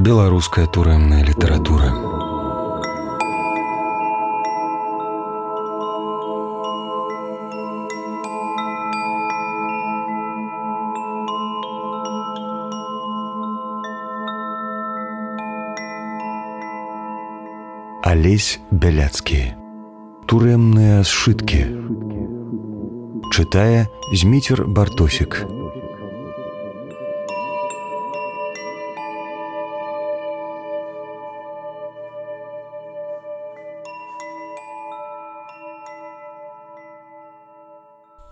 Беларуская турэмная літаратура. Алесь Бяляцкі. Турэмныя сшыткі. Чытае Зміцер Бартосік.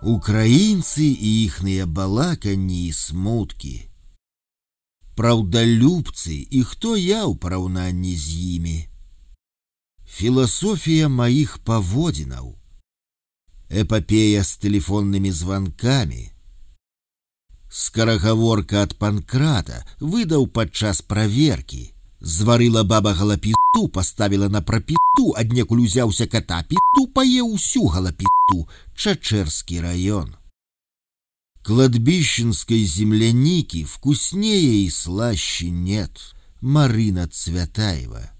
Украінцы і іхныя балаканні і смуткі. Праўдалюбцы і хто я ў параўнанні з імі. Філасофія маіх паводзінаў. Эпапея з тэлефоннымі званкамі. Скарагаворка ад Панкрата выдаў падчас праверкі. Зварыла баба галапіту, паставіла на прапіту, аднекуль узяўся ката піту, паеў усю галапіту. Чачэрскі раён. Кладбищенской земляники вкуснее и слаще нет. Марина Цвятаева.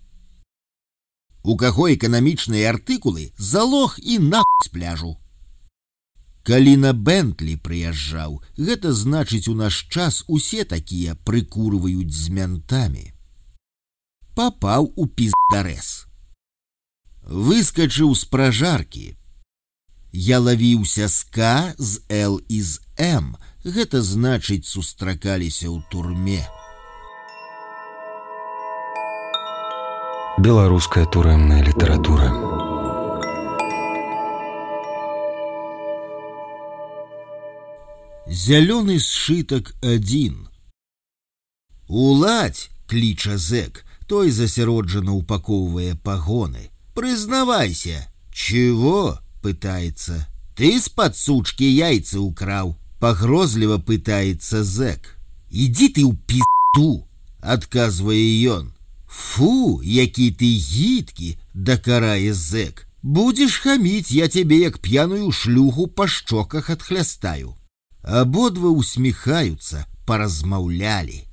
У каго эканамічныя артыкулы, залог і нахуй з пляжу. Калі на Бентлі прыязджаў, гэта значыць у наш час усе такія прыкурваюць з мянтамі. Папаў у піздарэс. Выскачыў з пражаркі. Я лавіўся з К, з Л і з М. Гэта значыць сустракаліся ў турме. Беларуская турэмная літаратура. Зялёны сшытак 1. Уладзь, кліча зэк, той засяроджана упаковывае пагоны. Прызнавайся. Чего? Пытается. Ты с-под сучки яйца украл. Погрозливо пытается зэк. Иди ты у пизду, отказывае ён. Фу, які ты гидкі, докарае зэк. Будешь хамить, я тебе як пьяную шлюху по щоках отхлястаю. Ободва усміхаюцца, паразмаўлялі.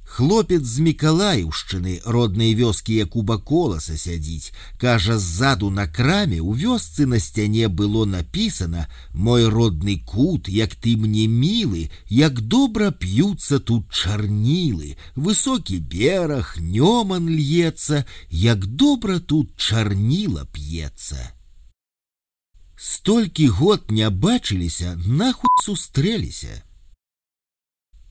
Хлопец з Мікалаіўшчыны, роднай вёскі Якуба Коласа сядзіць, кажа, ззаду на краме у вёсцы на сцяне было напісана: «Мой родны кут, як ты мне мілы, як добра п'юцца тут чарнілы, высокі бераг, нёман льецца, як добра тут чарніла п'ецца». Столькі год не бачыліся, нахуй сустрэліся.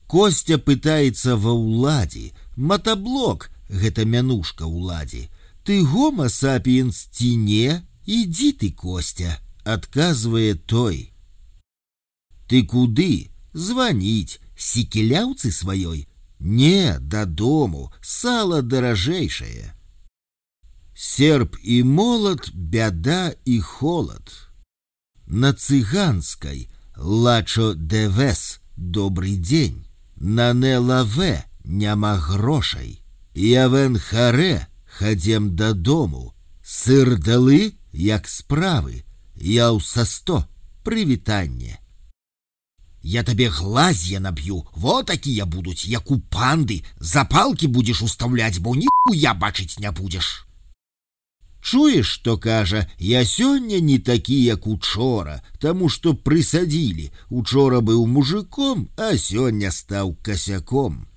Костя пытается ва ўладзе. Матаблок, гэта мянушка ўладзе. Ты гомо сапиенс ці не? Иди ты, Костя, отказывае той. Ты куды? Звонить. Сікеляўцы сваёй? Не, дадому, сало даражэйшае. Серп и молот, бяда и холод. На цыганской лачо девес, добрый день. На нелаве няма грошай. Явен харе, хадзем дадому. Сыр далы, як справы. Яў са 100, прывітанне. Я тебе глазья набью, вот такие будут, як у панды. Запалки будешь уставлять, бо нихуя бачить не будешь. Чуешь, что кажа, я сёння не такі, як учора, таму што прысадзілі. Учора быў мужиком, а сёння стаў косяком.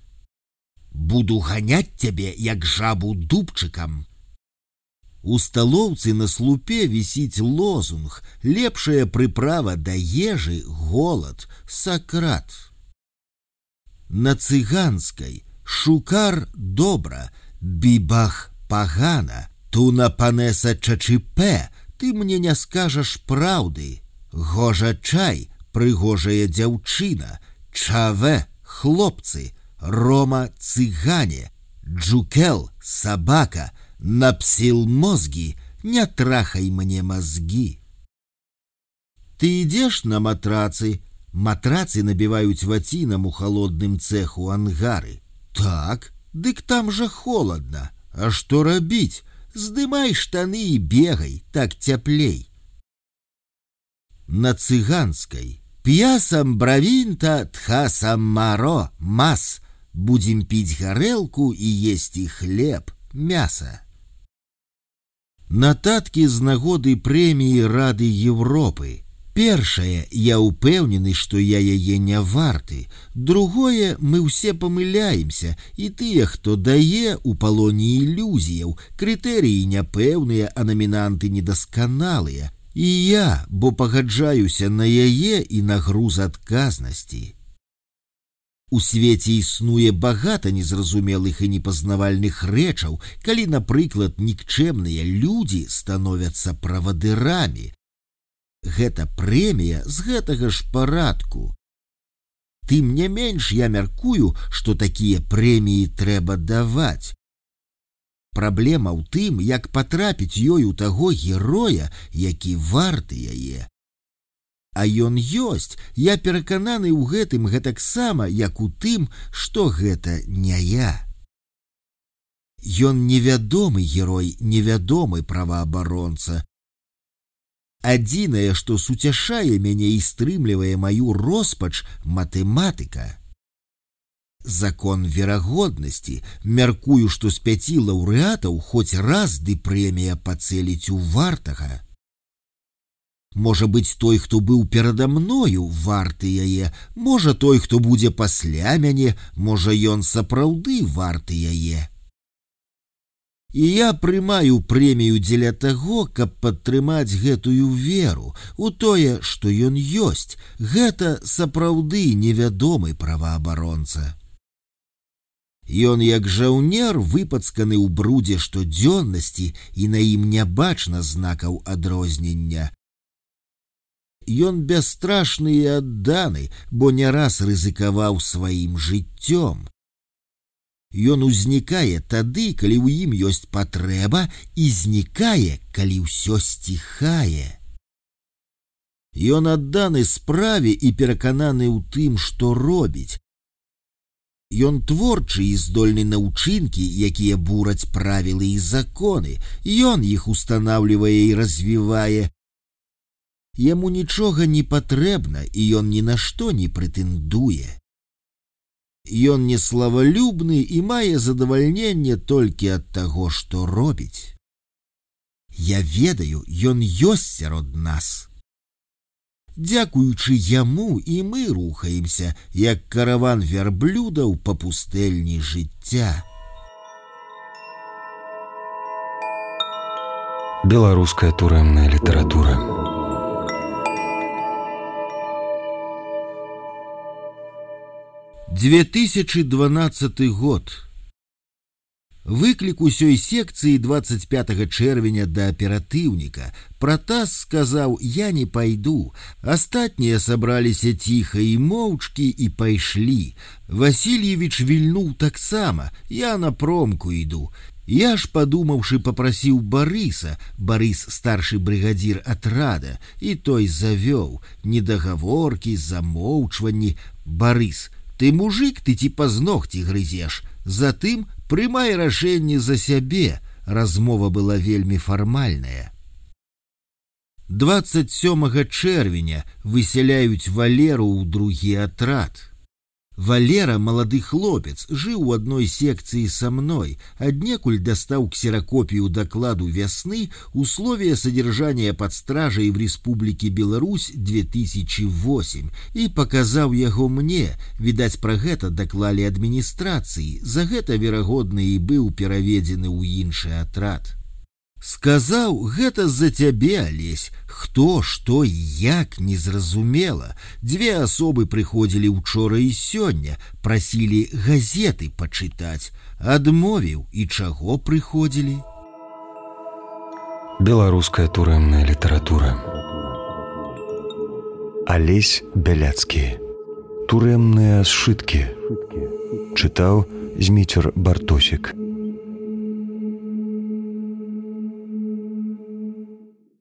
Буду ганять тебе, як жабу дубчыкам. У сталоўцы на слупе вісіць лозунг: лепшая прыправа да ежы — голад, Сократ. На цыганскай шукар добра, бібах пагана. Туна панеса чачипе, ты мне не скажаш праўды. Гожа чай, прыгожая дзяўчына. Чаве, хлопцы, рома цыгане. Джукел, собака, напсил мозги, не трахай мне мозги. Ты идешь на матрацы? Матрацы набивают ватинам у холодным цеху ангары. Так, дык там же холодно. А что робить? Здымай штаны и бегай, так цяплей. На цыганской пьясам бравинта тхасам маро мас. Будем піць гарэлку і есці хлеб, мяса. Нататкі з нагоды прэміі Рады Европы. Першае, я ўпэўнены, што я яе не варты. Другое, мы ўсе памыляемся, і тыя, хто дае, у палоне ілюзіяў, крытэрыі няпэўныя, а намінанты недасканалыя. І я, бо пагаджаюся на яе і на груз адказнасці. У свеце існуе багата незразумелых і непазнавальных рэчаў, калі, напрыклад, нікчэмныя людзі становяцца правадырамі. Гэта прэмія з гэтага ж парадку. Тым не менш я мяркую, што такія прэміі трэба даваць. Праблема ў тым, як патрапіць ёй у таго героя, які варты яе. А ён ёсць, я перакананы ў гэтым гэтаксама, як у тым, што гэта не я. Ён невядомы герой, невядомы праваабаронца. Адзінае, што суцяшае мяне і стрымлівае маю роспач, матэматыка. Закон верагоднасці. Мяркую, што з 5 лаўрэатаў хоць раз ды прэмія пацэліць у вартага. Можа быць, той, хто быў перада мною, варты яе, можа, той, хто будзе пасля мяне, можа, ён сапраўды варты яе. І я прымаю прэмію дзеля таго, каб падтрымаць гэтую веру у тое, што ён ёсць. Гэта сапраўды невядомы праваабаронца. Ён, як жаўнер, выпацканы ў брудзе штодзённасці, і на ім не бачна знакаў адрознення. Ён бясстрашны і адданы, бо не раз рызыкаваў сваім жыццём. Ён узнікае тады, калі ў ім ёсць патрэба, і знікае, калі ўсё сціхае. Ён адданы справе і перакананы ў тым, што робіць. Ён творчы і здольны на ўчынкі, якія бураць правілы і законы. Ён іх устанаўлівае і развівае. Яму нічога не патрэбна, і ён ні на што не прэтэндуе. Ён не славалюбны і мае задавальненне толькі ад таго, што робіць. Я ведаю, ён ёсць сярод нас. Дзякуючы яму і мы рухаемся, як караван вярблюдаў па пустэльні жыцця. Беларуская турэмная літаратура. «2012 год. Выклік усёй секцыі 25 чэрвеня да аператыўніка. Пратас сказаў: «Я не пайду». Астатнія сабраліся ціха і моўчкі і пайшлі. Васильевич вільнуў таксама. Я на промку іду. Я ж, падумаўшы, папрасіў Барыса. Барыс старшы брыгадзір атрада, і той завёў. Недагаворкі, замоўчванні. Барыс: «Ты мужик, ты ці пазногці грызеш. Затым прымай рашэнне за сябе». Размова была вельмі фармальная. 27 чэрвеня высяляюць Валеру ў другі атрад. Валера, малады хлопец, жыў у адной секцыі са мной, аднекуль дастаў ксеракопію дакладу вясны «Условия содержания под стражей в Республике Беларусь 2008» і паказаў яго мне. Відаць, пра гэта даклалі адміністрацыі, за гэта, верагодна, і быў пераведзены ў іншы атрад. Сказаў: «Гэта з-за цябе, Алесь». Хто, што і як, незразумела. 2 асобы прыходзілі учора і сёння, прасілі газеты пачытаць. Адмовіў. І чаго прыходзілі? Беларуская турэмная літаратура. Алесь Бяляцкі. Турэмныя сшыткі. Чытаў Зміцер Бартосік.